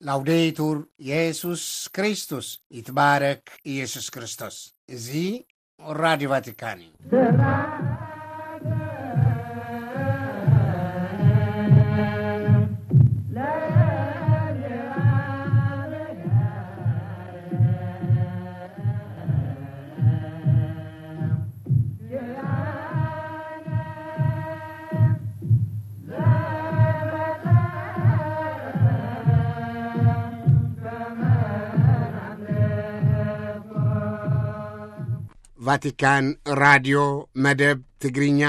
ላውዴቱር የሱስ ክርስቶስ፣ ይትባረክ ኢየሱስ ክርስቶስ። እዚ ራዲዮ ቫቲካን እዩ። ቫቲካን ራድዮ መደብ ትግርኛ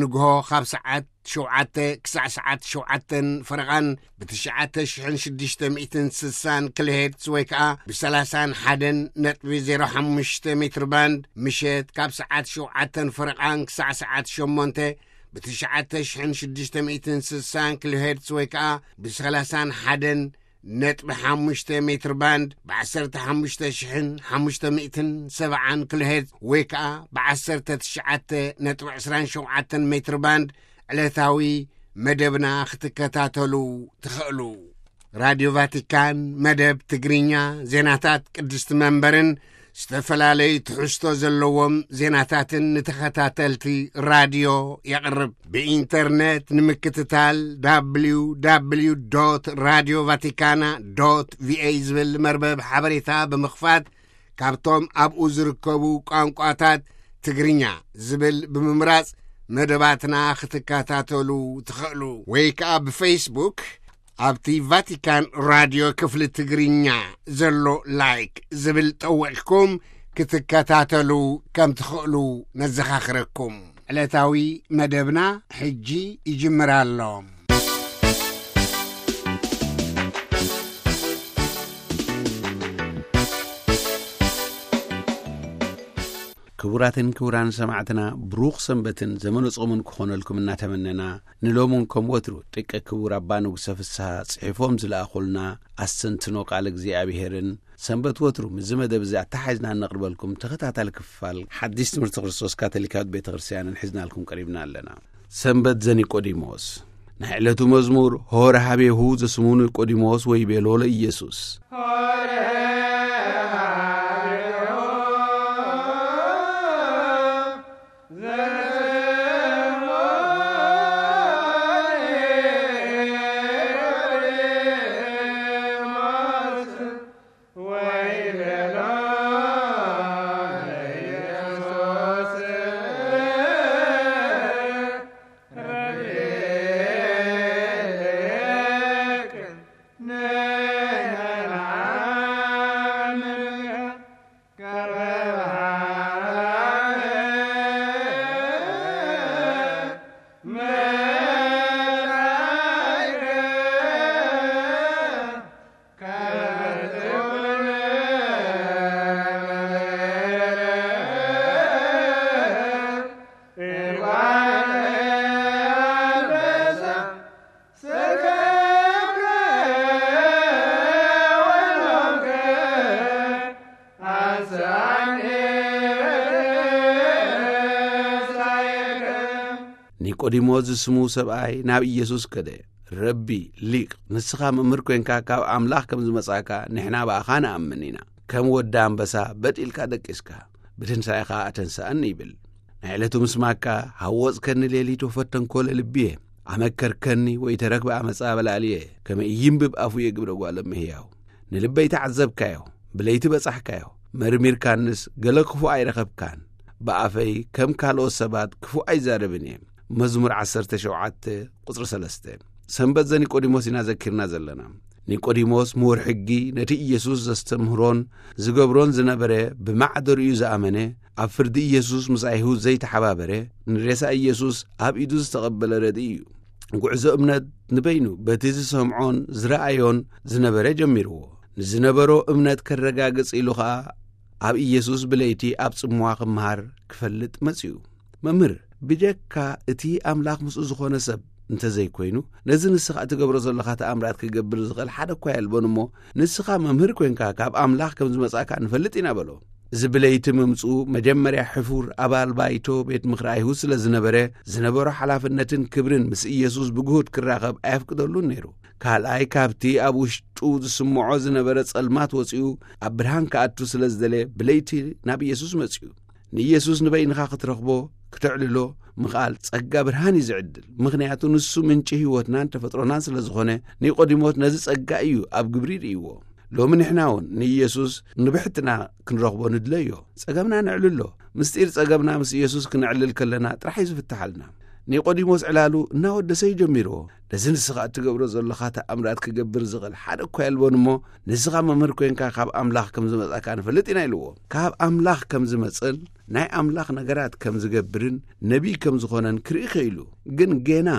ንግሆ ካብ ሰዓት ሸውዓተ ክሳዕ ሰዓት ሸውዓተን ፈረቓን ብትሽዓተ ሽሕን ሽዱሽተ ሚእትን ስሳን ኪሎ ሄርትዝ ወይ ከኣ ብሰላሳን ሓደን ነጥቢ ዜሮ ሓሙሽተ ሜትር ባንድ፣ ምሸት ካብ ሰዓት ሸውዓተን ፈረቓን ክሳዕ ሰዓት ሸሞንተ ብትሽዓተ ሽሕን ሽዱሽተ ሚእትን ስሳን ኪሎ ሄርትዝ ወይ ከኣ ብሰላሳን ሓደን ነጥቢ ሓሙሽተ ሜትር ባንድ፣ ብዓሰርተ ሓሙሽተ ሽሕን ሓሙሽተ ሚእትን ሰብዓን ኪሎ ሄርትዝ ወይ ከኣ ብዓሰርተ ትሽዓተ ነጥቢ ዕስራን ሸውዓተን ሜትር ባንድ ዕለታዊ መደብና ክትከታተሉ ትኽእሉ። ራድዮ ቫቲካን መደብ ትግርኛ፣ ዜናታት ቅድስቲ መንበርን ዝተፈላለዩ ትሕዝቶ ዘለዎም ዜናታትን ንተኸታተልቲ ራድዮ የቕርብ። ብኢንተርነት ንምክትታል፣ www radio vaticana va ዝብል መርበብ ሓበሬታ ብምኽፋት፣ ካብቶም ኣብኡ ዝርከቡ ቋንቋታት ትግርኛ ዝብል ብምምራጽ መደባትና ክትከታተሉ ትኽእሉ። ወይ ከኣ ብፌስቡክ ኣብቲ ቫቲካን ራድዮ ክፍሊ ትግርኛ ዘሎ ላይክ ዝብል ጠዊቕኩም ክትከታተሉ ከም ትኽእሉ ነዘኻኽረኩም። ዕለታዊ መደብና ሕጂ ይጅምር ኣሎ። ክቡራትን ክቡራን ሰማዕትና፣ ብሩኽ ሰንበትን ዘመነ ጾምን ክኾነልኩም እናተመነና፣ ንሎምን ከም ወትሩ ደቂ ክቡር ኣባ ንጉሰ ፍስሃ ጽሒፎም ዝለኣኹልና ኣስተንትኖ ቃል እግዚኣብሔርን ሰንበት ወትሩ ምስዚ መደብ እዚ ኣተሓሒዝና እነቕርበልኩም ተኸታታሊ ክፋል ሓዲስ ትምህርቲ ክርስቶስ ካቶሊካዊት ቤተ ክርስቲያንን ሒዝናልኩም ቀሪብና ኣለና። ሰንበት ዘኒቆዲሞስ። ናይ ዕለቱ መዝሙር፣ ሆረ ሀቤሁ ዘስሙ ኒቆዲሞስ ወይቤሎ ለኢየሱስ። ኒቆዲሞስ ዝስሙ ሰብኣይ ናብ ኢየሱስ ከደ። ረቢ፣ ሊቅ፣ ንስኻ መምህር ኮይንካ ካብ ኣምላኽ ከም ዝመጻእካ ንሕና ብኣኻ ንኣምን ኢና። ከም ወዲ ኣንበሳ በጥ ኢልካ ደቂስካ፣ ብትንሳኤኻ ኣተንስኣኒ ይብል። ናይ ዕለቱ ምስማካ፣ ሃወጽከኒ ሌሊት ወፈተንኮ ለልብየ፣ ኣመከርከኒ ወይ ተረክበ ኣመጻ በላልየ፣ ከመ ኢይንብብ ኣፉየ ግብረ ጓለ እምህያው። ንልበይ ተዓዘብካዮ፣ ብለይቲ በጻሕካዮ፣ መርሚርካንስ ገለ ክፉእ ኣይረኸብካን። ብኣፈይ ከም ካልኦት ሰባት ክፉእ ኣይዛረብን እየ። መዝሙር ዓሰርተ ሸውዓተ ቁጽሪ ሰለስተ። ሰንበት ዘኒቆዲሞስ ኢና ዘኪርና ዘለና። ኒቆዲሞስ ምሁር ሕጊ፣ ነቲ ኢየሱስ ዘስተምህሮን ዝገብሮን ዝነበረ ብማዕደሩ እዩ ዝኣመነ፣ ኣብ ፍርዲ ኢየሱስ ምስ ኣይሁድ ዘይተሓባበረ፣ ንሬሳ ኢየሱስ ኣብ ኢዱ ዝተቐበለ ረድኢ እዩ። ጉዕዞ እምነት ንበይኑ በቲ ዝሰምዖን ዝረኣዮን ዝነበረ ጀሚርዎ። ንዝነበሮ እምነት ከረጋግጽ ኢሉ ኸኣ ኣብ ኢየሱስ ብለይቲ ኣብ ጽምዋ ክምሃር ክፈልጥ መጺኡ። መምህር፣ ብጀካ እቲ ኣምላኽ ምስኡ ዝኾነ ሰብ እንተዘይኮይኑ፣ ነዚ ንስኻ እትገብሮ ዘለኻ ተኣምራት ክገብር ዝኽእል ሓደ እኳ የልቦን እሞ፣ ንስኻ መምህር ኮይንካ ካብ ኣምላኽ ከም ዝመጻእካ ንፈልጥ ኢና በሎ። እዚ ብለይቲ ምምጽኡ መጀመርያ ሕፉር ኣባል ባይቶ ቤት ምኽሪ ኣይሁድ ስለ ዝነበረ፣ ዝነበሮ ሓላፍነትን ክብርን ምስ ኢየሱስ ብግሁድ ክራኸብ ኣየፍቅደሉን ነይሩ። ካልኣይ፣ ካብቲ ኣብ ውሽጡ ዝስምዖ ዝነበረ ጸልማት ወጺኡ ኣብ ብርሃን ክኣቱ ስለ ዝደለ፣ ብለይቲ ናብ ኢየሱስ መጺኡ። ንኢየሱስ ንበይንኻ ክትረኽቦ፣ ክተዕልሎ ምኽኣል ጸጋ ብርሃን እዩ ዝዕድል። ምኽንያቱ ንሱ ምንጪ ህይወትናን ተፈጥሮናን ስለ ዝኾነ፣ ኒቆዲሞስ ነዚ ጸጋ እዩ ኣብ ግብሪ ርእይዎ። ሎሚ ንሕና እውን ንኢየሱስ ንብሕትና ክንረኽቦ ንድለዮ። ጸገምና ነዕልሎ። ምስጢር ጸገምና ምስ ኢየሱስ ክነዕልል ከለና ጥራሕ እዩ ዝፍትሓልና። ኒቆዲሞስ ዕላሉ እናወደሰ እዩ ጀሚርዎ። ነዚ ንስኻ እትገብሮ ዘለኻ ተኣምራት ክገብር ዝኽእል ሓደ እኳ የልቦን እሞ፣ ንስኻ መምህር ኮይንካ ካብ ኣምላኽ ከም ዝመጻካ ንፈልጥ ኢና ኢልዎ። ካብ ኣምላኽ ከም ዝመጽል፣ ናይ ኣምላኽ ነገራት ከም ዝገብርን ነቢይ ከም ዝኾነን ክርኢ ክኢሉ። ግን ጌና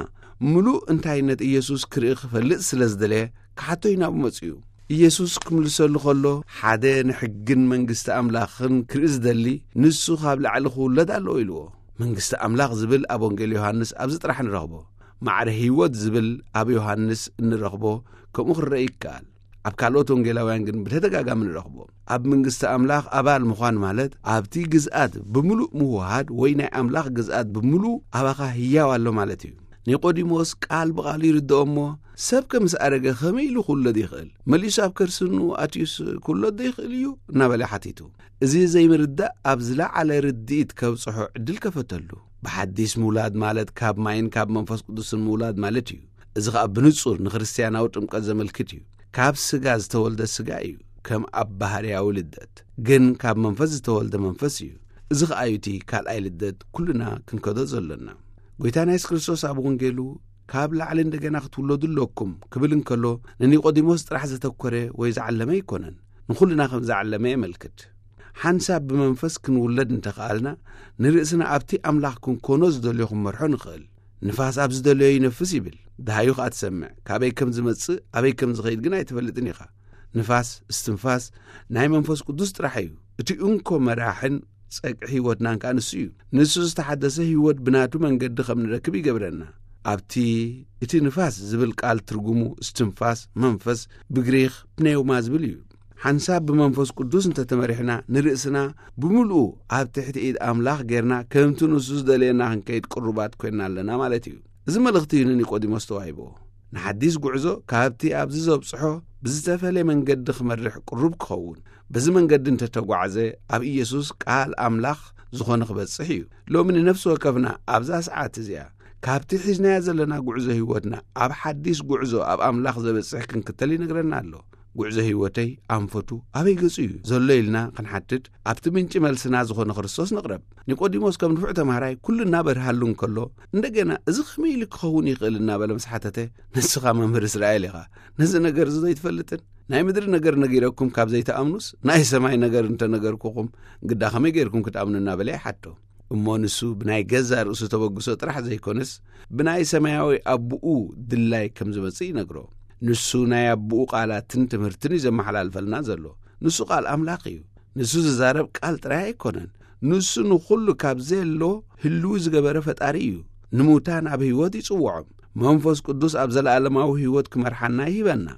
ምሉእ እንታይነት ኢየሱስ ክርኢ ክፈልጥ ስለ ዝደለየ፣ ክሓቶ እዩ ናብኡ መጺኡ። ኢየሱስ ክምልሰሉ ከሎ፣ ሓደ ንሕግን መንግስቲ ኣምላኽን ክርኢ ዝደሊ፣ ንሱ ካብ ላዕሊ ክውለድ ኣለዎ ኢልዎ። መንግስቲ ኣምላኽ ዝብል ኣብ ወንጌል ዮሃንስ ኣብዚ ጥራሕ ንረኽቦ። ማዕረ ህይወት ዝብል ኣብ ዮሃንስ እንረኽቦ፣ ከምኡ ክረአ ይከኣል። ኣብ ካልኦት ወንጌላውያን ግን ብተደጋጋሚ ንረኽቦ። ኣብ መንግስቲ ኣምላኽ ኣባል ምዃን ማለት፣ ኣብቲ ግዝኣት ብምሉእ ምውሃድ ወይ ናይ ኣምላኽ ግዝኣት ብምሉእ ኣባኻ ህያው ኣሎ ማለት እዩ። ኒቆዲሞስ ቃል ብቓሉ ይርድኦ እሞ፣ ሰብ ከ ምስ ኣረገ ከመይ ኢሉ ክውለድ ይኽእል? መሊሱ ኣብ ከርሲ እንኡ ኣትዩስ ክውለድ ዶ ይኽእል እዩ? እናበለ ሓቲቱ። እዚ ዘይምርዳእ ኣብ ዝለዓለ ርድኢት ከብጽሖ ዕድል ከፈተሉ። ብሓዲስ ምውላድ ማለት ካብ ማይን ካብ መንፈስ ቅዱስን ምውላድ ማለት እዩ። እዚ ኸኣ ብንጹር ንክርስትያናዊ ጥምቀት ዘመልክት እዩ። ካብ ስጋ ዝተወልደ ስጋ እዩ፣ ከም ኣብ ባህርያዊ ልደት። ግን ካብ መንፈስ ዝተወልደ መንፈስ እዩ። እዚ ኸኣ እዩ እቲ ካልኣይ ልደት ኩልና ክንከዶ ዘሎና። ጎይታና የሱስ ክርስቶስ ኣብ ወንጌሉ፣ "ካብ ላዕሊ እንደገና ክትውለዱ ኣለኩም" ክብል እንከሎ፣ ንኒቆዲሞስ ጥራሕ ዘተኮረ ወይ ዝዓለመ ኣይኮነን። ንኹልና ከም ዝዓለመ የመልክት። ሓንሳብ ብመንፈስ ክንውለድ እንተኸኣልና፣ ንርእስና ኣብቲ ኣምላኽ ክንኮኖ ዝደልዮ ክንመርሖ ንኽእል። "ንፋስ ኣብ ዝደለዮ ይነፍስ" ይብል። ደሃዩ ኸኣ ትሰምዕ። ካበይ ከም ዝመጽእ፣ ኣበይ ከም ዝኸይድ ግን ኣይትፈልጥን ኢኻ። ንፋስ፣ እስትንፋስ፣ ናይ መንፈስ ቅዱስ ጥራሕ እዩ። እቲ እንኮ መራሕን ጸግዒ ህይወትናን ከኣ ንሱ እዩ። ንሱ ዝተሓደሰ ህይወት ብናቱ መንገዲ ከም ንረክብ ይገብረና። ኣብቲ እቲ ንፋስ ዝብል ቃል ትርጉሙ እስትንፋስ፣ መንፈስ፣ ብግሪኽ ፕኔውማ ዝብል እዩ። ሓንሳብ ብመንፈስ ቅዱስ እንተተመሪሕና፣ ንርእስና ብምሉኡ ኣብ ትሕቲ ኢድ ኣምላኽ ጌርና፣ ከምቲ ንሱ ዝደልየና ክንከይድ ቅሩባት ኮይንና ኣለና ማለት እዩ። እዚ መልእኽቲ እዩ ንኒቆዲሞስ ተዋሂብዎ። ንሓዲስ ጉዕዞ ካብቲ ኣብዚ ዘብጽሖ ብዝተፈለየ መንገዲ ክመርሕ ቅሩብ ክኸውን፣ በዚ መንገዲ እንተተጓዕዘ፣ ኣብ ኢየሱስ ቃል ኣምላኽ ዝኾነ ክበጽሕ እዩ። ሎሚ ንነፍሲ ወከፍና ኣብዛ ሰዓት እዚኣ፣ ካብቲ ሒዝናዮ ዘለና ጉዕዞ ህይወትና ኣብ ሓዲስ ጉዕዞ ኣብ ኣምላኽ ዘበጽሕ ክንክተል ይነግረና ኣሎ። "ጉዕዞ ህይወተይ ኣንፈቱ ኣበይ ገጹ እዩ ዘሎ?" ኢልና ክንሓትት፣ ኣብቲ ምንጪ መልስና ዝኾነ ክርስቶስ ንቕረብ። ኒቆዲሞስ ከም ንፉዕ ተማሃራይ ኩሉ እናበርሃሉ እንከሎ፣ እንደገና "እዚ ከመይ ኢሉ ክኸውን ይኽእል?" እናበለ ምስ ሓተተ፣ "ንስኻ መምህር እስራኤል ኢኻ። ነዚ ነገር እዚ ዘይትፈልጥን? ናይ ምድሪ ነገር ነጊረኩም ካብ ዘይትኣምኑስ፣ ናይ ሰማይ ነገር እንተነገርኩኹም ግዳ ከመይ ጌርኩም ክትኣምኑ?" እናበለ ይሓቶ። እሞ ንሱ ብናይ ገዛእ ርእሱ ተበግሶ ጥራሕ ዘይኮነስ፣ ብናይ ሰማያዊ ኣቦኡ ድላይ ከም ዝመጽእ ይነግሮ። ንሱ ናይ ኣቦኡ ቃላትን ትምህርትን እዩ ዘመሓላልፈልና ዘሎ። ንሱ ቃል ኣምላኽ እዩ። ንሱ ዝዛረብ ቃል ጥራይ ኣይኮነን። ንሱ ንኹሉ ካብ ዘየሎ ህልው ዝገበረ ፈጣሪ እዩ። ንሙታን ኣብ ህይወት ይጽውዖም። መንፈስ ቅዱስ ኣብ ዘለኣለማዊ ህይወት ክመርሓና ይህበና።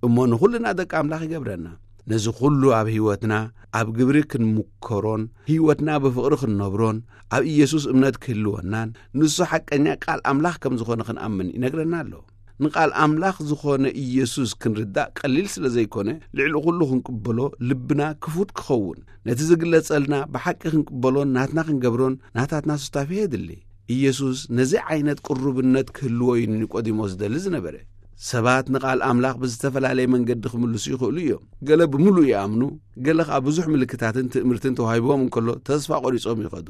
እሞ ንኹልና ደቂ ኣምላኽ ይገብረና። ነዚ ኩሉ ኣብ ህይወትና ኣብ ግብሪ ክንምከሮን፣ ህይወትና ብፍቕሪ ክንነብሮን፣ ኣብ ኢየሱስ እምነት ክህልወናን፣ ንሱ ሓቀኛ ቃል ኣምላኽ ከም ዝኾነ ክንኣምን ይነግረና ኣሎ። ንቃል ኣምላኽ ዝኾነ ኢየሱስ ክንርዳእ ቀሊል ስለ ዘይኮነ፣ ልዕሊ ኩሉ ክንቅበሎ ልብና ክፉት ክኸውን፣ ነቲ ዝግለጸልና ብሓቂ ክንቅበሎን ናትና ክንገብሮን ናታትና ሱታፌ የድሊ። ኢየሱስ ነዚ ዓይነት ቅሩብነት ክህልዎ እዩ ንኒቆዲሞስ ዝደሊ ዝነበረ። ሰባት ንቃል ኣምላኽ ብዝተፈላለየ መንገዲ ክምልሱ ይኽእሉ እዮም። ገለ ብምሉእ ይኣምኑ፣ ገለ ኸኣ ብዙሕ ምልክታትን ትእምርትን ተዋሂብዎም እንከሎ ተስፋ ቆሪጾም ይኸዱ።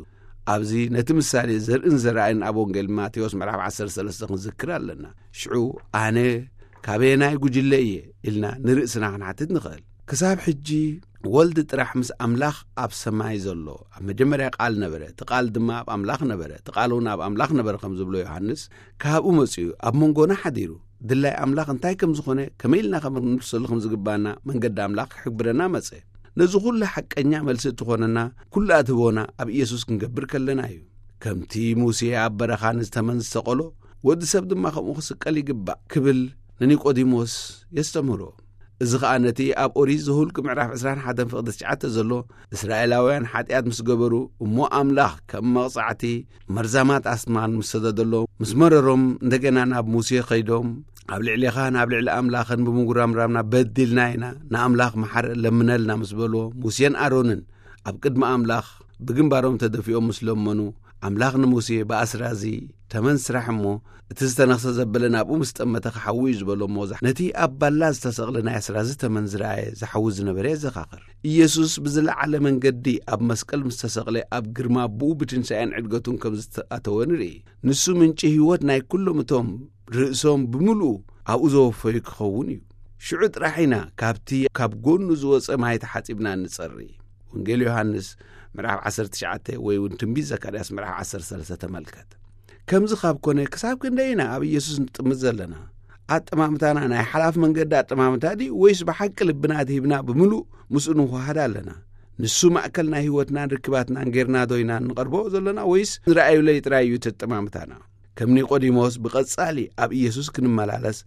ኣብዚ ነቲ ምሳሌ ዘርእን ዘራእን ኣብ ወንጌል ማቴዎስ ምዕራፍ ዓሰርተ ሰለስተ ክንዝክር ኣለና። ሽዑ ኣነ ካበየናይ ጉጅለ እየ ኢልና ንርእስና ክንሓትት ንኽእል። ክሳብ ሕጂ ወልድ ጥራሕ ምስ ኣምላኽ ኣብ ሰማይ ዘሎ፣ ኣብ መጀመርያ ቃል ነበረ፣ እቲ ቃል ድማ ኣብ ኣምላኽ ነበረ፣ እቲ ቃል እውን ኣብ ኣምላኽ ነበረ ከም ዝብሎ ዮሃንስ፣ ካብኡ መጺኡ ኣብ መንጎና ሓዲሩ፣ ድላይ ኣምላኽ እንታይ ከም ዝኾነ፣ ከመይ ኢልና ከም ክንምልሰሉ ከም ዝግባና መንገዲ ኣምላኽ ክሕብረና መጸ። ነዚ ኩሉ ሓቀኛ መልሲ እትኾነና ኩላ ትህቦና ኣብ ኢየሱስ ክንገብር ከለና እዩ። ከምቲ ሙሴ ኣብ በረኻ ንዝተመን ዝሰቐሎ፣ ወዲ ሰብ ድማ ከምኡ ክስቀል ይግባእ ክብል ንኒቆዲሞስ የስተምህሮ። እዚ ኸኣ ነቲ ኣብ ኦሪት ዘሁልቅ ምዕራፍ ዕስራን ሓደን ፍቕዲ ትሽዓተ ዘሎ፣ እስራኤላውያን ሓጢኣት ምስ ገበሩ፣ እሞ ኣምላኽ ከም መቕጻዕቲ መርዛማት ኣስማን ምስ ሰደደሎ፣ ምስ መረሮም፣ እንደገና ናብ ሙሴ ኸይዶም፣ ኣብ ልዕሌኻን ኣብ ልዕሊ ኣምላኽን ብምጉራምራምና በዲልና ኢና፣ ንኣምላኽ መሓረ ለምነልና ምስ በልዎ፣ ሙሴን ኣሮንን ኣብ ቅድሚ ኣምላኽ ብግንባሮም ተደፊኦም ምስ ለመኑ፣ ኣምላኽ ንሙሴ፣ "ብኣስራ እዚ ተመን ስራሕ እሞ፣ እቲ ዝተነኽሰ ዘበለ ናብኡ ምስ ጠመተ ክሓዊ እዩ" ዝበሎ እሞ፣ ነቲ ኣብ ባላ ዝተሰቕለ ናይ ኣስራ እዚ ተመን ዝረኣየ ዝሓዊ ዝነበረ የዘኻኽር። ኢየሱስ ብዝለዓለ መንገዲ ኣብ መስቀል ምስ ተሰቕለ፣ ኣብ ግርማ ኣቦኡ ብትንሳኤን ዕድገቱን ከም ዝተኣተወ ንርኢ። ንሱ ምንጪ ህይወት ናይ ኩሎም እቶም ርእሶም ብምልኡ ኣብኡ ዘወፈዩ ክኸውን እዩ። ሽዑ ጥራሕ ኢና ካብቲ ካብ ጎኑ ዝወጸ ማይ ተሓጺብና እንጸሪ። ወንጌል ዮሃንስ ምዕራፍ ዓሰርተ ትሽዓተ ወይ እውን ትንቢት ዘካርያስ ምዕራፍ ዓሰርተ ሰለስተ ተመልከት። ከምዚ ካብ ኮነ፣ ክሳብ ክንደይ ኢና ኣብ ኢየሱስ ንጥምት ዘለና? ኣጠማምታና ናይ ሓላፍ መንገዲ ኣጠማምታ ድዩ፣ ወይስ ብሓቂ ልብና ትሂብና ብምሉእ ምስኡ ንወሃሃድ ኣለና? ንሱ ማእከል ናይ ህይወትናን ርክባትናን ጌርና ዶ ኢና እንቐርቦ ዘለና፣ ወይስ ንረኣዩለይ ጥራይ እዩ እቲ ኣጠማምታና? ከም ኒቆዲሞስ ብቐጻሊ ኣብ ኢየሱስ ክንመላለስ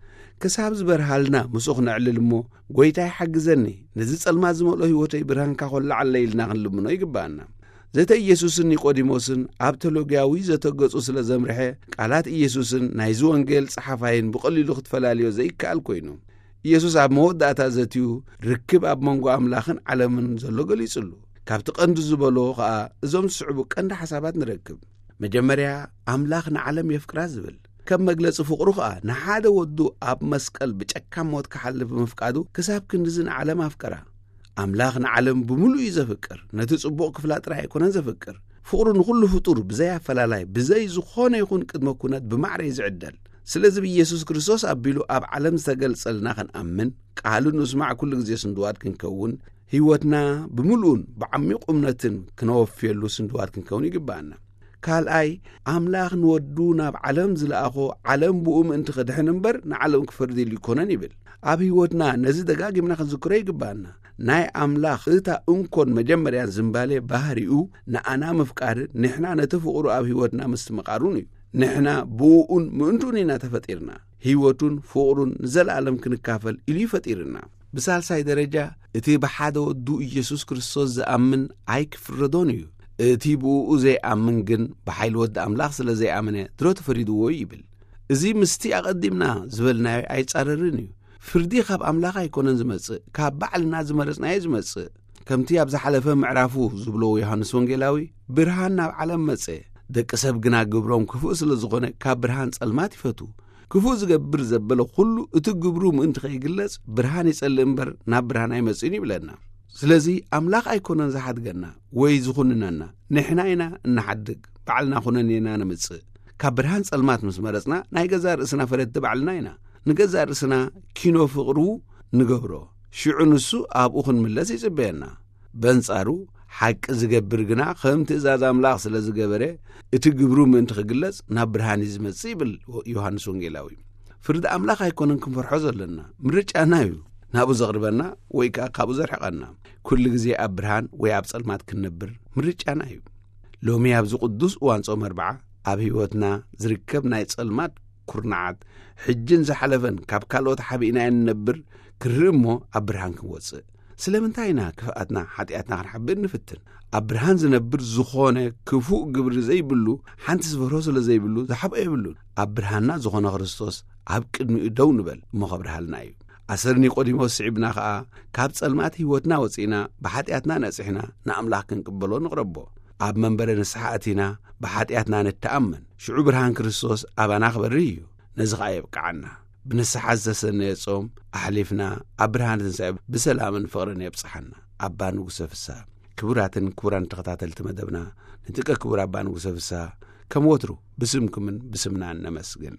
ክሳብ ዝበርሃልና ምስኡ ክነዕልል እሞ፣ "ጐይታይ ሓግዘኒ፣ ነዚ ጸልማት ዝመልኦ ህይወተይ ብርሃንካ ኾላዓለይ" ኢልና ክንልምኖ ይግብኣና። ዘተ ኢየሱስን ኒቆዲሞስን ኣብ ቴዎሎጊያዊ ዘተ ገጹ ስለ ዘምርሐ፣ ቃላት ኢየሱስን ናይዚ ወንጌል ጸሓፋይን ብቐሊሉ ክትፈላልዮ ዘይከኣል ኮይኑ። ኢየሱስ ኣብ መወዳእታ ዘትዩ ርክብ ኣብ መንጎ ኣምላኽን ዓለምን ዘሎ ገሊጹሉ። ካብቲ ቀንዲ ዝበሎ ኸኣ እዞም ዝስዕቡ ቀንዲ ሓሳባት ንረክብ። መጀመርያ፣ ኣምላኽ ንዓለም የፍቅራ ዝብል። ከም መግለጺ ፍቕሩ ኸኣ ንሓደ ወዱ ኣብ መስቀል ብጨካን ሞት ክሓልፍ ብምፍቃዱ ክሳብ ክንድዚ ንዓለም ኣፍቀራ። ኣምላኽ ንዓለም ብምሉእ እዩ ዘፍቅር። ነቲ ጽቡቕ ክፍላ ጥራይ ኣይኮነን ዘፍቅር። ፍቕሩ ንኹሉ ፍጡር ብዘይ ኣፈላላይ፣ ብዘይ ዝኾነ ይኹን ቅድመ ኩነት ብማዕረ እዩ ዝዕደል። ስለዚ ብኢየሱስ ክርስቶስ ኣቢሉ ኣብ ዓለም ዝተገልጸልና ክንኣምን፣ ቃሉ ንስማዕ ኩሉ ግዜ ስንድዋት ክንከውን፣ ህይወትና ብምሉኡን ብዓሚቕ እምነትን ክነወፍየሉ ስንድዋት ክንከውን ይግብኣና። ካልኣይ፣ ኣምላኽ ንወዱ ናብ ዓለም ዝለኣኾ፣ ዓለም ብኡ ምእንቲ ክድሕን እምበር ንዓለም ክፈርድ ኢሉ ይኮነን ይብል። ኣብ ህይወትና ነዚ ደጋጊምና ክንዝክሮ ይግብኣና። ናይ ኣምላኽ እታ እንኮን መጀመርያን ዝንባሌ ባህሪኡ ንኣና ምፍቃርን ንሕና ነቲ ፍቕሩ ኣብ ህይወትና ምስትምቓሩን እዩ። ንሕና ብእኡን ምእንትኡን ኢና ተፈጢርና። ህይወቱን ፍቕሩን ንዘለኣለም ክንካፈል ኢሉ እዩ ፈጢርና። ብሳልሳይ ደረጃ፣ እቲ ብሓደ ወዱ ኢየሱስ ክርስቶስ ዝኣምን ኣይክፍረዶን እዩ። እቲ ብእኡ ዘይኣምን ግን ብሓይሊ ወዲ ኣምላኽ ስለ ዘይኣመነ ድሮ ተፈሪድዎ እዩ ይብል። እዚ ምስቲ ኣቐዲምና ዝበልናዮ ኣይጻረርን እዩ። ፍርዲ ካብ ኣምላኽ ኣይኮነን ዝመጽእ፣ ካብ ባዕልና ዝመረጽናዮ ዝመጽእ። ከምቲ ኣብ ዝሓለፈ ምዕራፉ ዝብሎ ዮሃንስ ወንጌላዊ፣ "ብርሃን ናብ ዓለም መጸ፣ ደቂ ሰብ ግና ግብሮም ክፉእ ስለ ዝኾነ ካብ ብርሃን ጸልማት ይፈቱ። ክፉእ ዝገብር ዘበለ ኩሉ እቲ ግብሩ ምእንቲ ከይግለጽ ብርሃን ይጸልእ እምበር ናብ ብርሃን ኣይመጽእን" ይብለና። ስለዚ ኣምላኽ ኣይኮነን ዝሓድገና ወይ ዝኹንነና፣ ንሕና ኢና እንሓድግ፣ ባዕልና ኩነኔና ነምጽእ። ካብ ብርሃን ጸልማት ምስ መረጽና ናይ ገዛእ ርእስና ፈረድቲ ባዕልና ኢና። ንገዛእ ርእስና ኪኖ ፍቕሩ ንገብሮ። ሽዑ ንሱ ኣብኡ ክንምለስ ይጽበየና። በንጻሩ፣ ሓቂ ዝገብር ግና ከም ትእዛዝ ኣምላኽ ስለ ዝገበረ፣ እቲ ግብሩ ምእንቲ ክግለጽ ናብ ብርሃን እዩ ዝመጽእ ይብል ዮሃንስ ወንጌላዊ። ፍርዲ ኣምላኽ ኣይኮነን ክንፈርሖ ዘለና፣ ምርጫና እዩ። ናብኡ ዘቕርበና ወይ ከኣ ካብኡ ዘርሕቐና። ኩሉ ግዜ ኣብ ብርሃን ወይ ኣብ ጸልማት ክንነብር ምርጫና እዩ። ሎሚ ኣብዚ ቅዱስ እዋን ጾም ኣርብዓ ኣብ ህይወትና ዝርከብ ናይ ጸልማት ኩርናዓት፣ ሕጅን ዝሓለፈን ካብ ካልኦት ሓቢእናዮ ንነብር ክርኢ እሞ ኣብ ብርሃን ክንወጽእ። ስለምንታይ ኢና ክፍኣትና ሓጢኣትና ክንሓብእ ንፍትን? ኣብ ብርሃን ዝነብር ዝኾነ ክፉእ ግብሪ ዘይብሉ፣ ሓንቲ ዝፈርሆ ስለ ዘይብሉ ዝሓብኦ የብሉን። ኣብ ብርሃንና ዝኾነ ክርስቶስ ኣብ ቅድሚኡ ደው ንበል እሞ ከብርሃልና እዩ። ኣሰር ኒቆዲሞስ ስዒብና ኸኣ ካብ ጸልማት ህይወትና ወጺእና ብሓጢኣትና ነጺሕና ንኣምላኽ ክንቅበሎ ንቕረቦ። ኣብ መንበረ ንስሓ ኣቲና ብሓጢኣትና ንተኣመን። ሽዑ ብርሃን ክርስቶስ ኣባና ክበርህ እዩ። ነዚ ኸኣ የብቅዓና። ብንስሓ ዝተሰነየ ጾም ኣሕሊፍና ኣብ ብርሃን ትንሳኤ ብሰላምን ፍቕርን የብጽሓና። ኣባ ንጉሰ ፍስሃ። ክቡራትን ክቡራን ተኸታተልቲ መደብና፣ ንጥቀ ክቡር ኣባ ንጉሰ ፍስሃ ከም ወትሩ ብስምኩምን ብስምናን ነመስግን።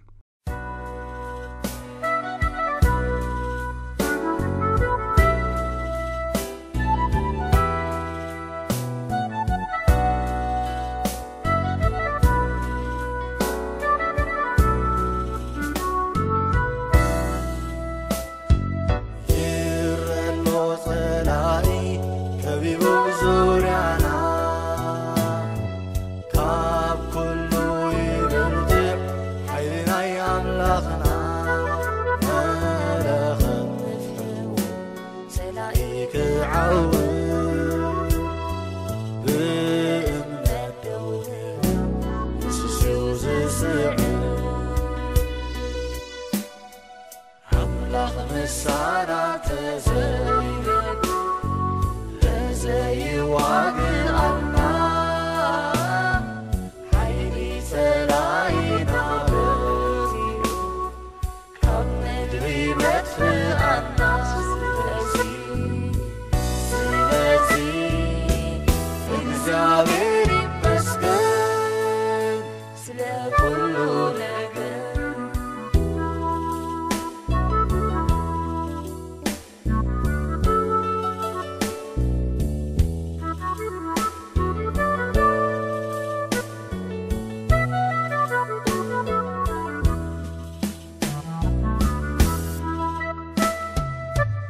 ይረሎ ጸላኢ ከቢቡ ዙርያና፣ ካብ ኩሉ ይበልጽ ሓይሊ ናይ ክዓውት ብእምነት ደው ንስሱ ዝስዕብ ኣምላኽ ምሳና ተዘይነብ ተዘይዋግኣና ሓይሊ ጸላኢና በዚሑ ካብ ምድሪ መጥፍኣና። ስለዚ፣ ስለዚ እግዚኣብሔር ይመስገን ስለ ኩሉ ነገር።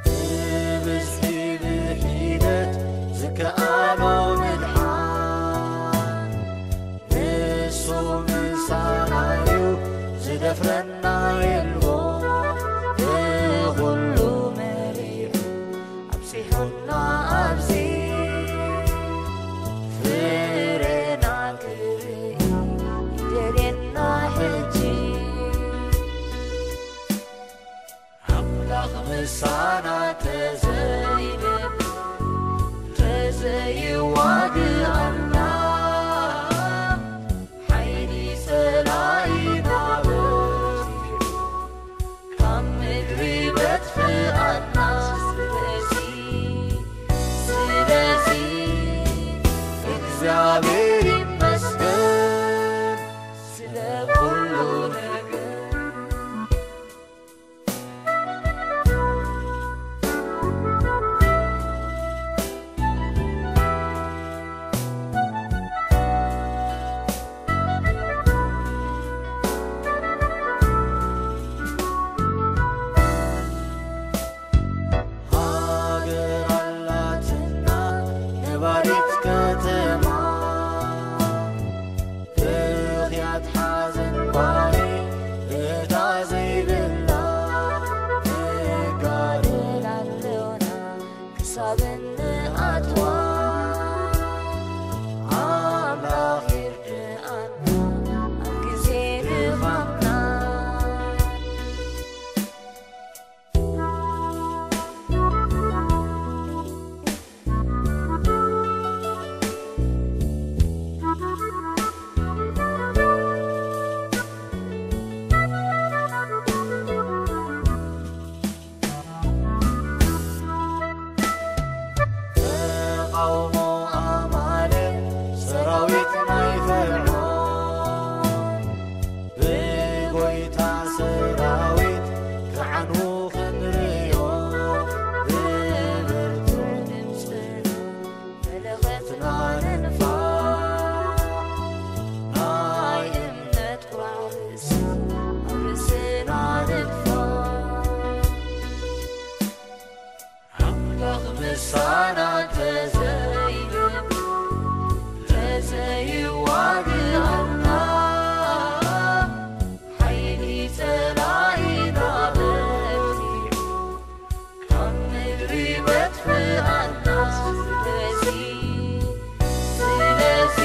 ብብዝሒ ብሒደት ዝከኣሎ ምድሓን ንሱ ምሳና እዩ፣ ዝደፍረና የልቦ። ንኹሉ መሪሑ ኣብጺሑና ኣብዚ ፍሬና ክርኢ ይደልየና ሕጂ። ኣምላኽ ምሳና ተዘይነብ ተዘይዋግኣና ሓይሊ ጸላኢና በዚሑ ካብ ምድሪ መጥፍኣና። ስለዚ፣ ስለዚ እግዚኣብሔር ይመስገን ስለ ኩሉ ነገር። ሃገር ኣላትና ነባሪት ከተማ፣ ብኽያት ሓዘን ጓሂ እታ ዘይብላ፣ ንጋደል ኣለና ክሳብ እንኣትዋ። ኣምላኽ ይርድኣና ኣብ ግዜ ድኻምና። ተቓውሞ ኣማልክ ሰራዊት ናይ ፈርዖን፣ ብጎይታ ሰራዊት ክዓኑ ክንርእዮ፣ ብብርቱዕ ድምፅና መለኸትና ንንፋሕ፣ ናይ እምነት ቁራዕ ርእሲ ኣብ ርእስና ንድፋእ። ኣምላኽ ምሳና ተዘይነብ ተዘይዋግኣና፣ ሓይሊ ጸላኢና በርቲዑ ካብ ምድሪ መጥፍኣና። ስለዚ፣ ስለዚ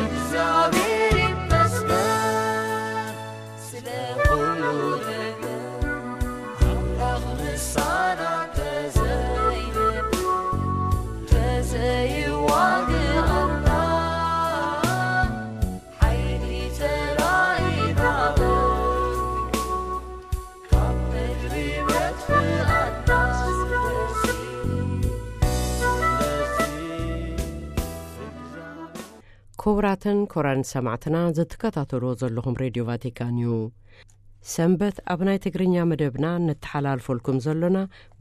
እግዚኣብሔር ይመስገን። ስለ ኩሉ ነገር ኣምላኽ ምሳና ተዘይነብ ተዘይዋግኣና፣ ሓይሊ ጸላኢና በርቲዑ ካብ ምድሪ መጥፍኣና። ስለዚ፣ ስለዚ ክቡራትን ክቡራን ሰማዕትና፣ ዘትከታተልዎ ዘለኹም ሬድዮ ቫቲካን እዩ። ሰንበት ኣብ ናይ ትግርኛ መደብና ነተሓላልፈልኩም ዘሎና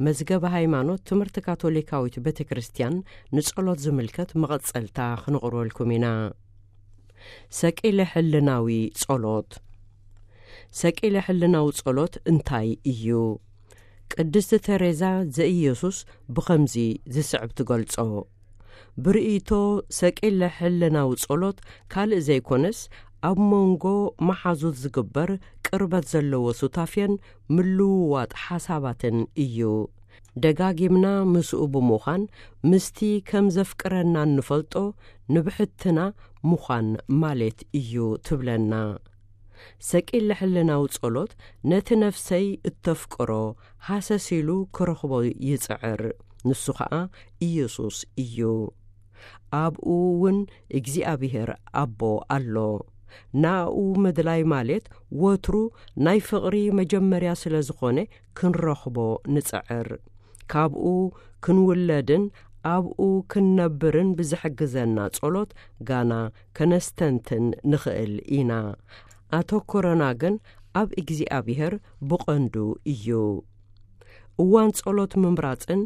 መዝገበ ሃይማኖት ትምህርቲ ካቶሊካዊት ቤተ ክርስቲያን ንጸሎት ዝምልከት መቐጸልታ ክንቕርበልኩም ኢና። ሰቂለ ሕልናዊ ጸሎት። ሰቂለ ሕልናዊ ጸሎት እንታይ እዩ? ቅድስቲ ተሬዛ ዘኢየሱስ ብኸምዚ ዝስዕብ ትገልጾ። ብርእይቶ ሰቂለ ሕልናዊ ጸሎት ካልእ ዘይኮነስ፣ ኣብ መንጎ መሓዙት ዝግበር ቅርበት ዘለዎ ሱታፌን ምልውዋጥ ሓሳባትን እዩ። ደጋጊምና ምስኡ ብምዃን ምስቲ ከም ዘፍቅረና እንፈልጦ ንብሕትና ምዃን ማለት እዩ ትብለና። ሰቂለ ሕልናዊ ጸሎት ነቲ ነፍሰይ እተፍቅሮ ሃሰስ ኢሉ ክረኽቦ ይጽዕር። ንሱ ኸኣ ኢየሱስ እዩ። ኣብኡ እውን እግዚኣብሔር ኣቦ ኣሎ። ናኡ ምድላይ ማለት ወትሩ ናይ ፍቕሪ መጀመርያ ስለ ዝኾነ ክንረኽቦ ንጽዕር። ካብኡ ክንውለድን ኣብኡ ክንነብርን ብዝሕግዘና ጸሎት ጋና ከነስተንትን ንኽእል ኢና። ኣተኮረና ግን ኣብ እግዚኣብሔር ብቐንዱ እዩ። እዋን ጸሎት ምምራጽን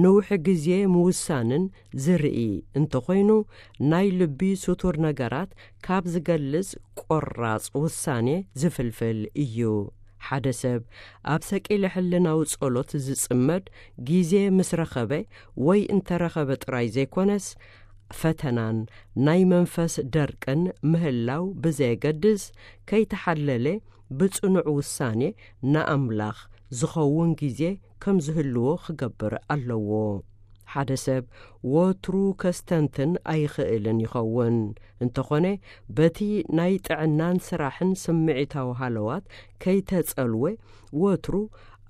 ንውሒ ግዜ ምውሳንን ዝርኢ እንተኾይኑ፣ ናይ ልቢ ስቱር ነገራት ካብ ዝገልጽ ቆራጽ ውሳኔ ዝፍልፍል እዩ። ሓደ ሰብ ኣብ ሰቂለ ሕልናዊ ጸሎት ዝጽመድ፣ ግዜ ምስ ረኸበ ወይ እንተረኸበ ጥራይ ዘይኮነስ፣ ፈተናን ናይ መንፈስ ደርቅን ምህላው ብዘየገድስ፣ ከይተሓለለ ብጽኑዕ ውሳኔ ንኣምላኽ ዝኸውን ግዜ ከም ዝህልዎ ክገብር ኣለዎ። ሓደ ሰብ ወትሩ ከስተንትን ኣይኽእልን ይኸውን። እንተኾነ፣ በቲ ናይ ጥዕናን ስራሕን ስምዒታዊ ሃለዋት ከይተጸልወ፣ ወትሩ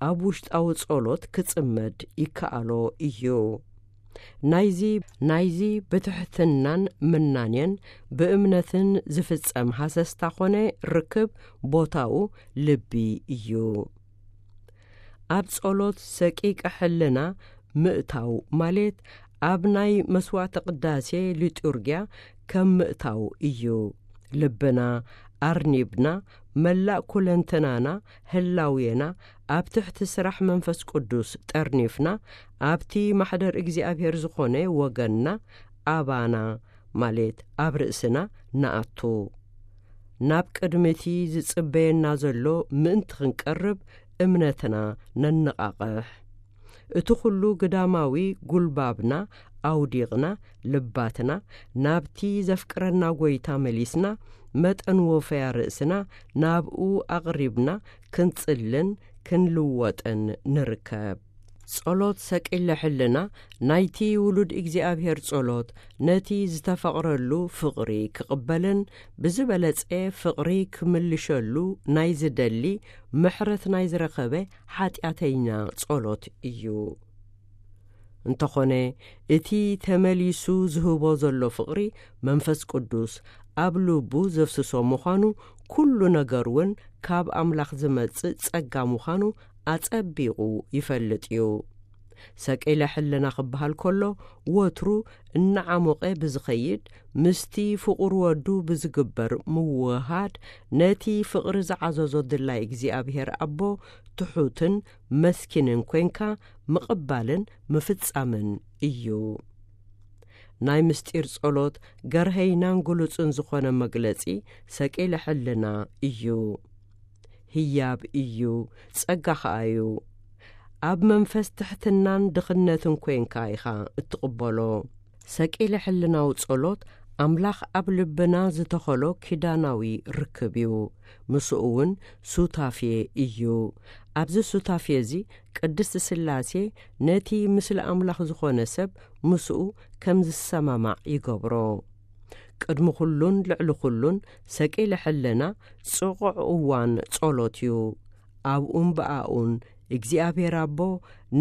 ኣብ ውሽጣዊ ጸሎት ክጽመድ ይከኣሎ እዩ። ናይዚ፣ ናይዚ ብትሕትናን ምናኔን ብእምነትን ዝፍጸም ሃሰስታ ኾነ ርክብ ቦታኡ ልቢ እዩ። ኣብ ጸሎት ሰቂቀ ሕልና ምእታው ማለት ኣብ ናይ መስዋዕተ ቅዳሴ ሊጡርጊያ ከም ምእታው እዩ። ልብና ኣርኒብና፣ መላእ ኩለንተናና፣ ህላዌና ኣብ ትሕቲ ስራሕ መንፈስ ቅዱስ ጠርኒፍና፣ ኣብቲ ማሕደር እግዚኣብሔር ዝኾነ ወገንና፣ ኣባና ማለት ኣብ ርእስና ንኣቱ። ናብ ቅድሚ እቲ ዝጽበየና ዘሎ ምእንቲ ክንቀርብ እምነትና ነነቓቕሕ። እቲ ኩሉ ግዳማዊ ጉልባብና ኣውዲቕና፣ ልባትና ናብቲ ዘፍቅረና ጐይታ መሊስና፣ መጠን ወፈያ ርእስና ናብኡ ኣቕሪብና ክንጽልን ክንልወጥን ንርከብ። ጸሎት ሰቂለ ሕልና ናይቲ ውሉድ እግዚኣብሔር ጸሎት ነቲ ዝተፈቕረሉ ፍቕሪ ክቕበልን ብዝበለጸ ፍቕሪ ክምልሸሉ ናይ ዝደሊ ምሕረት ናይ ዝረኸበ ሓጢኣተኛ ጸሎት እዩ። እንተኾነ፣ እቲ ተመሊሱ ዝህቦ ዘሎ ፍቕሪ መንፈስ ቅዱስ ኣብ ልቡ ዘፍስሶ ምዃኑ፣ ኩሉ ነገር እውን ካብ ኣምላኽ ዝመጽእ ጸጋ ምዃኑ ኣጸቢቑ ይፈልጥ እዩ። ሰቂለ ሕልና ክበሃል ከሎ፣ ወትሩ እናዓሞቐ ብዝኸይድ፣ ምስቲ ፍቑር ወዱ ብዝግበር ምውህሃድ፣ ነቲ ፍቕሪ ዝዓዘዞ ድላይ እግዚኣብሔር ኣቦ ትሑትን መስኪንን ኮንካ ምቕባልን ምፍጻምን እዩ። ናይ ምስጢር ጸሎት ገርሀይናን ግሉጽን ዝኾነ መግለጺ ሰቂለ ሕልና እዩ። ህያብ እዩ፣ ጸጋ ኸኣ እዩ። ኣብ መንፈስ ትሕትናን ድኽነትን ኮንካ ኢኻ እትቕበሎ። ሰቂለ ሕልናዊ ጸሎት ኣምላኽ ኣብ ልብና ዝተኸሎ ኪዳናዊ ርክብ እዩ። ምስኡ እውን ሱታፌ እዩ። ኣብዚ ሱታፌ እዚ ቅድስቲ ስላሴ ነቲ ምስሊ ኣምላኽ ዝኾነ ሰብ ምስኡ ከም ዝሰማማዕ ይገብሮ። ቅድሚ ኩሉን ልዕሊ ኩሉን ሰቂለ ሕልና ጽቑዕ እዋን ጸሎት እዩ። ኣብኡን ብኣኡን እግዚኣብሔር ኣቦ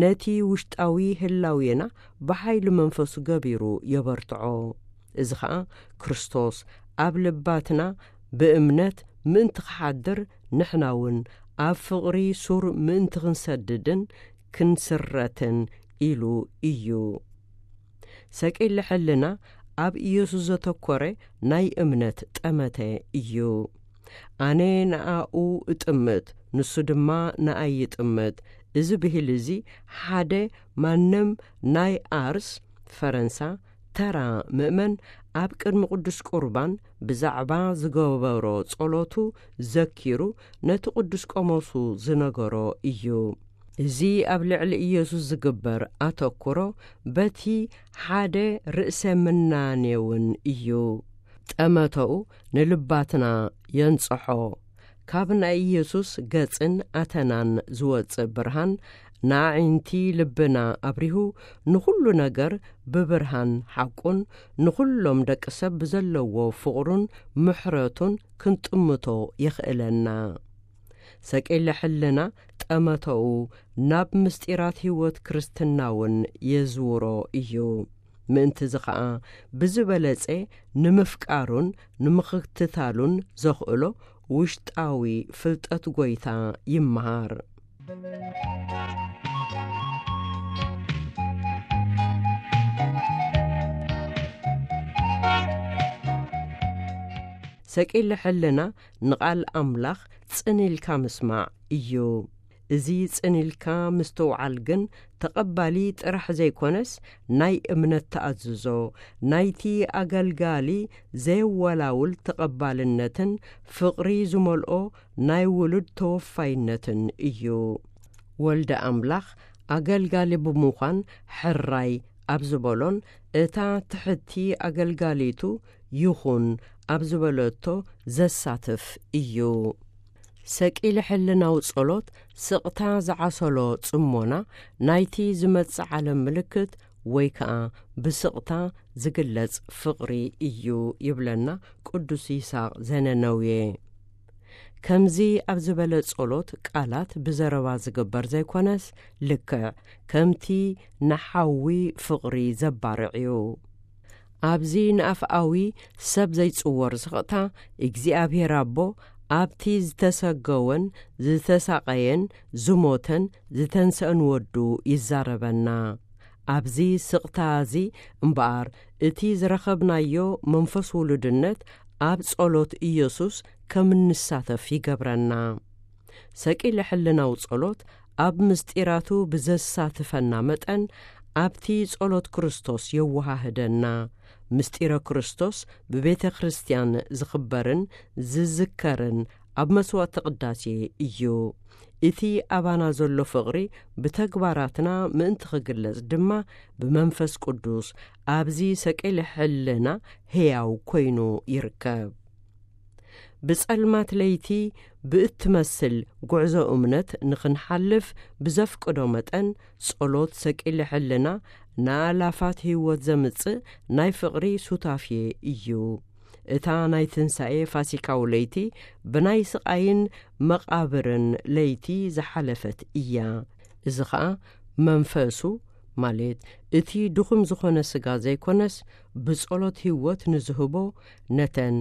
ነቲ ውሽጣዊ ህላዌና ብሓይሊ መንፈሱ ገቢሩ የበርትዖ። እዚ ኸኣ ክርስቶስ ኣብ ልባትና ብእምነት ምእንቲ ክሓድር፣ ንሕና እውን ኣብ ፍቕሪ ሱር ምእንቲ ክንሰድድን ክንስረትን ኢሉ እዩ። ሰቂለ ሕልና ኣብ ኢየሱስ ዘተኮረ ናይ እምነት ጠመተ እዩ። ኣነ ንኣኡ እጥምት፣ ንሱ ድማ ንኣይ ይጥምት። እዚ ብሂል እዚ ሓደ ማንም ናይ ኣርስ፣ ፈረንሳ፣ ተራ ምእመን ኣብ ቅድሚ ቅዱስ ቁርባን ብዛዕባ ዝገበሮ ጸሎቱ ዘኪሩ ነቲ ቅዱስ ቆሞሱ ዝነገሮ እዩ። እዚ ኣብ ልዕሊ ኢየሱስ ዝግበር ኣተኩሮ በቲ ሓደ ርእሰ ምናኔ እውን እዩ። ጠመተኡ ንልባትና የንጽሖ። ካብ ናይ ኢየሱስ ገጽን ኣተናን ዝወጽእ ብርሃን ንኣዒንቲ ልብና ኣብሪሁ፣ ንኹሉ ነገር ብብርሃን ሓቁን ንኹሎም ደቂ ሰብ ብዘለዎ ፍቕሩን ምሕረቱን ክንጥምቶ የኽእለና። ሰቂለ ሕልና ጠመተኡ ናብ ምስጢራት ህይወት ክርስትና እውን የዝውሮ እዩ። ምእንትዚ ኸኣ ብዝበለጸ ንምፍቃሩን ንምኽትታሉን ዘኽእሎ ውሽጣዊ ፍልጠት ጐይታ ይመሃር። ሰቂለ ሕልና ንቓል ኣምላኽ ጽን ኢልካ ምስማዕ እዩ። እዚ ጽን ኢልካ ምስትውዓል ግን ተቐባሊ ጥራሕ ዘይኮነስ፣ ናይ እምነት ተኣዝዞ፣ ናይቲ ኣገልጋሊ ዘየወላውል ተቐባልነትን ፍቕሪ ዝመልኦ ናይ ውሉድ ተወፋይነትን እዩ። ወልደ ኣምላኽ ኣገልጋሊ ብምዃን ሕራይ ኣብ ዝበሎን እታ ትሕቲ ኣገልጋሊቱ ይኹን ኣብ ዝበለቶ ዘሳትፍ እዩ። ሰቂለ ሕልናዊ ጸሎት ስቕታ ዝዓሰሎ ጽሞና ናይቲ ዝመጽእ ዓለም ምልክት ወይ ከኣ ብስቕታ ዝግለጽ ፍቕሪ እዩ ይብለና ቅዱስ ይስሐቅ ዘነነውየ። ከምዚ ኣብ ዝበለ ጸሎት ቃላት ብዘረባ ዝግበር ዘይኮነስ፣ ልክዕ ከምቲ ንሓዊ ፍቕሪ ዘባርዕ እዩ። ኣብዚ ንኣፍኣዊ ሰብ ዘይጽወር ስቕታ፣ እግዚኣብሔር ኣቦ ኣብቲ ዝተሰገወን ዝተሳቐየን ዝሞተን ዝተንሰአን ወዱ ይዛረበና። ኣብዚ ስቕታ እዚ እምበኣር፣ እቲ ዝረኸብናዮ መንፈስ ውሉድነት ኣብ ጸሎት ኢየሱስ ከም እንሳተፍ ይገብረና። ሰቂለ ሕልናዊ ጸሎት ኣብ ምስጢራቱ ብዘሳትፈና መጠን፣ ኣብቲ ጸሎት ክርስቶስ የወሃህደና። ምስጢረ ክርስቶስ ብቤተ ክርስቲያን ዝኽበርን ዝዝከርን ኣብ መስዋዕተ ቅዳሴ እዩ። እቲ ኣባና ዘሎ ፍቕሪ ብተግባራትና ምእንቲ ክግለጽ ድማ፣ ብመንፈስ ቅዱስ ኣብዚ ሰቂለ ሕልና ሕያው ኮይኑ ይርከብ። ብጸልማት ለይቲ ብእትመስል ጉዕዞ እምነት ንኽንሓልፍ ብዘፍቅዶ መጠን፣ ጸሎት ሰቂለ ሕልና ንኣላፋት ህይወት ዘምጽእ ናይ ፍቕሪ ሱታፌ እዩ። እታ ናይ ትንሳኤ ፋሲካዊ ለይቲ ብናይ ስቓይን መቓብርን ለይቲ ዝሓለፈት እያ። እዚ ኸኣ መንፈሱ፣ ማለት እቲ ድኹም ዝኾነ ስጋ ዘይኮነስ፣ ብጸሎት ህይወት ንዝህቦ ነተን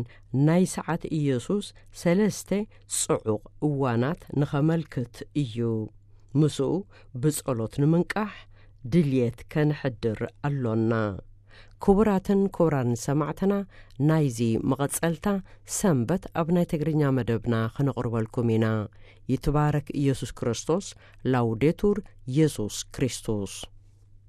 ናይ ሰዓት ኢየሱስ ሰለስተ ጽዑቕ እዋናት ንኸመልክት እዩ። ምስኡ ብጸሎት ንምንቃሕ ድልየት ከነሕድር ኣሎና። ክቡራትን ክቡራን ሰማዕትና፣ ናይዚ መቐጸልታ ሰንበት ኣብ ናይ ትግርኛ መደብና ክነቕርበልኩም ኢና። ይትባረክ ኢየሱስ ክርስቶስ። ላውዴቱር ኢየሱስ ክርስቶስ።